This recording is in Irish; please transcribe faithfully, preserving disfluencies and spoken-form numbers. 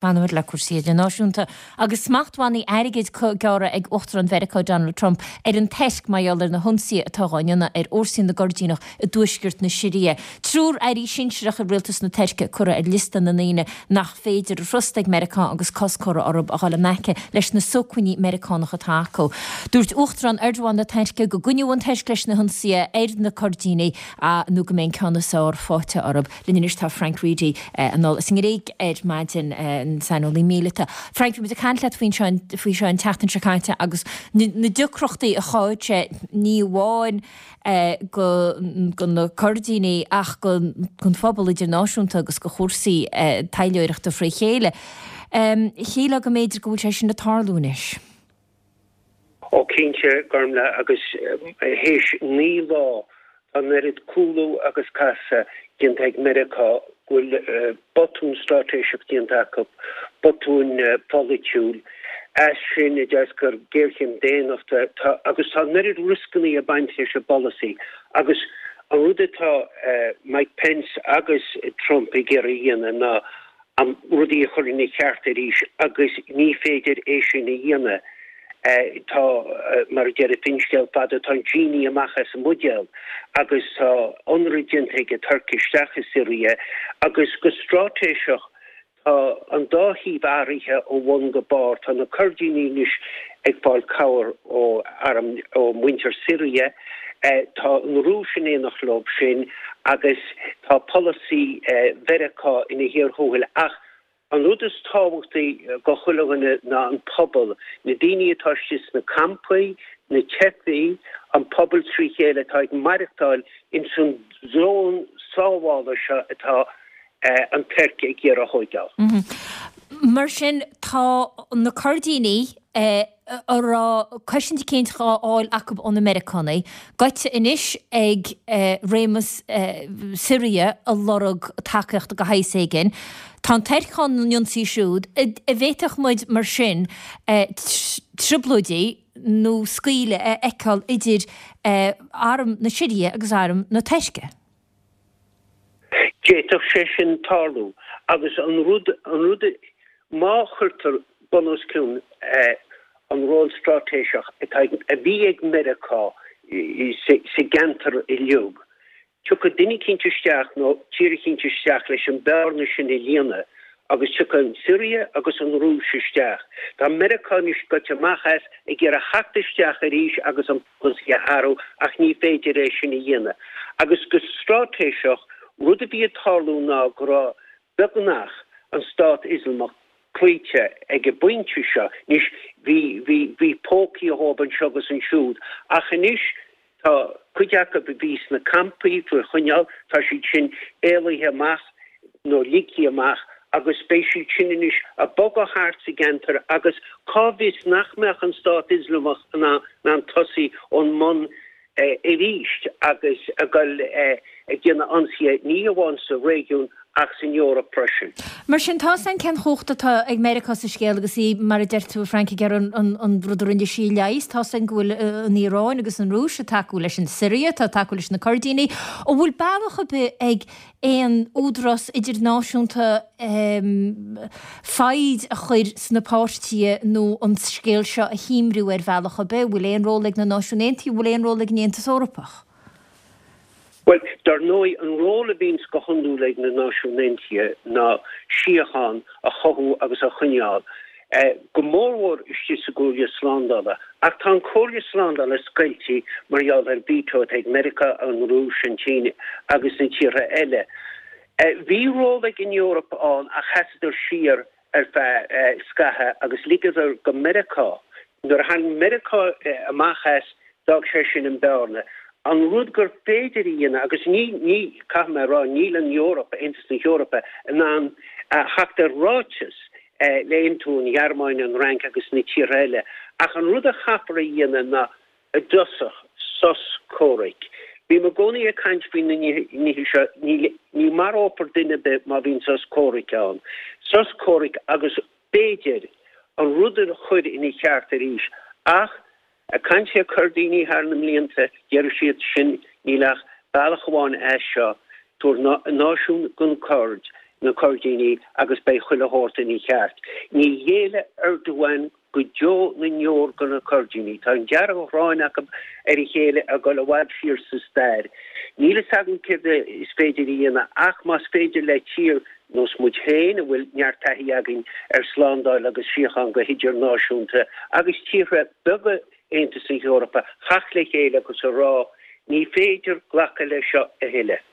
Fanfaimid le cúrsaí idirnáisiúnta agus smachtbhannaí airgid gearrtha ag Uachtarán Mheiriceá Donald Trump ar an Tuirc mar gheall ar na hionsaithe atá á ndéanamh ar fhórsaí na gCoirdíneach i dtuaisceart na Siria. Triúr airí sinsearach i rialtas na Tuirce curtha ar liosta na ndaoine nach féidir a thrust ag Meiriceá agus cosc curtha orthu a dhul in aice leis na sócmhainní Meiriceánacha atá acu. Dúirt Uachtarán Erdogan na Tuirce go gcoinneoidh an Tuirc leis na hionsaithe ar na Coirdínigh nó go mbeidh an ceann is fearr faighte orthu. Linn anois tá Frank Reidy anall as an nGréig ar maidin. An saineolaí míleata. Frank, bhí muid ag caint leat faoin seo faoi seo an tseachtain seo caite agus na deacrachtaí a chothaigh sé ní amháin go go na Coirdínigh ach go gon phobal idirnáisiúnta agus go chúrsaí taidhleoireachta fré chéile. Shílfeá go mb'fhéidir go bhfuil sé sin ag tarlú anois. Ó cinnte, Gormlaith, agus théis naoi lá tá an oiread cúlú agus casadh déanta ag Meiriceá go bhfuil botún straitéiseach déanta acu, botún polaitiúil. As sin a d'eascair géarchéim daonnachta agus tá an oiread rioscannaí ag baint leis an bpolasaí agus an rud atá Mike Pence agus Trump ag iarraidh a dhéanamh ná rudaí a chur ina cheart arís agus ní féidir é sin a dhéanamh. Tá, mar a deir an finscéal fada, tá an genie amach as an mbuidéal agus tá ionradh déanta ag an Tuirc isteach i Siria agus go straitéiseach tá an dá thaobh athraithe ó bhun go barr. Tá na Coirdínigh anois ag fáil cabhair ó arm ó mhuintir Siria, tá an Rúis in éineacht leo sin agus tá polasaí Mheiriceá ina chíor thuathail ach an rud is tábhachtaí go chuile dhuine ná an pobal, na daoine atá istigh sna campaí, na teifigh, an pobal trí chéile atá ag maireachtáil ins an zón sábhála seo atá an Tuirc ag iarraidh a thóigeáil. Mar sin, tá na Coirdínigh a raibh cosaint eicínt dhá fháil acu ó na Meiriceánaigh, gaibhte anois ag réimeas Siria a lorg tacaíochta de shaghas éigin. Tá an Tuirc á n-ionsaí siúd. An bhféadfadh muid mar sin trioblóidí nó scaoileadh a fheiceáil idir arm na Siria agus arm na Tuirce? D'fhéadfadh sé sin tarlú agus an rud, an rud, má chuirtear bun os cionn an ról straitéiseach atá ag, a bhí ag Meiriceá sa, sa gceantar uilig, tiocfaidh duine eicínt isteach nó tír eicínt isteach leis an bearna sin a líonadh agus tiocfaidh an tSiria agus an Rúis isteach. Tá Meiriceá anois gaibhte amach as, ag iarraidh theacht isteach arís agus an polasaí a athrú ach ní féidir é sin a dhéanamh. Agus go straitéiseach, rud a bhí ag tarlú ná go raibh beagnach an Stát Ioslamach cloíte ag an bpointe seo. Anois, bhí, bhí, bhí pócaí dhóibh anseo agus ansiúd ach anois tá cuid acu a bhí sna campaí faoi choinneáil, tá siad sin éalaithe amach nó ligthe amach agus beidh siad sin anois ag bogadh thart sa gceantar agus cá bhfios nach mbeadh an Stát Ioslamach in ann tosaí ón mbun arís agus a dhul ag déanamh ionsaithe ní hamháin sa réigiún ach san Eoraip freisin. Mar sin, tá 's againn cén chumhacht atá ag Meiriceá sa scéal agus í, mar a deir tú, a Frank, ag iarraidh an rud a rinne sí a leigheas. Tá 's againn go bhfuil an Iaráin agus an Rúis ag tacú leis an Siria, tá ag tacú leis na Coirdínigh. An bhfuil bealach ar bith ag aon údarás idirnáisiúnta foighid a chur sna páirtithe nó an scéal seo a shuaimriú ar bhealach ar bith? An bhfuil aon ról ag na Náisiúin Aontaithe? An bhfuil aon ról ag an Aontas Eorpach? Bhuel, dar ndóigh, an ról a bhíonns go hiondúil ag na Náisiúin Aontaithe ná síocháin a chothú agus a choinneáil. go mórmhór istigh sa gComhairle Slándála. Ach tá an Chomhairle Slándála scoilte mar gheall ar veto atá ag Meiriceá, an Rúis, an tSín agus na tíortha eile. Bhí ról ag an Eoraip ann ach sheasadar siar ar feadh scaitheamh agus ligeadar go Meiriceá. Nuair a tháinig Meiriceá amach as, d'fhág sé sin an bearna. An rud gur féidir a dhéanamh, agus ní, ní, caithfidh mé a rá, níl an Eoraip, Aontas na hEorpa, in ann theacht ar ráiteas le haontú an Ghearmáin, an Fhrainc agus na tíortha eile. Ach an rud a chaithfear a dhéanamh ná, i dtosach, sos comhraic. Bím i gcónaí ag caint faoi na nithe seo, ní, ní marófar duine ar bith má bhíonn sos comhraic ann. Sos comhraic agus b'fhéidir an rud a chur ina cheart arís. Ach ag caint le Coirdínigh thar na mblianta, deir siad sin, níl ach bealach amháin as seo, tabhair náisiún don Kurd. na Coirdínigh agus beidh chuile shórt ina cheart. Ní ghéillfidh Erdogan go deo na ndeor do na Coirdínigh. Tá an dearg-ghráin acu ar a chéile ag dul i bhfad siar sa stair. Níl fhios agam céard is féidir a dhéanamh ach más féidir le tír nós muid féin a bhfuil neart taithí againn ar slándáil agus síocháin go hidirnáisiúnta agus tíortha beaga Aontas na hEorpa theacht le chéile agus a rá ní féidir glacadh leis seo a thuilleadh.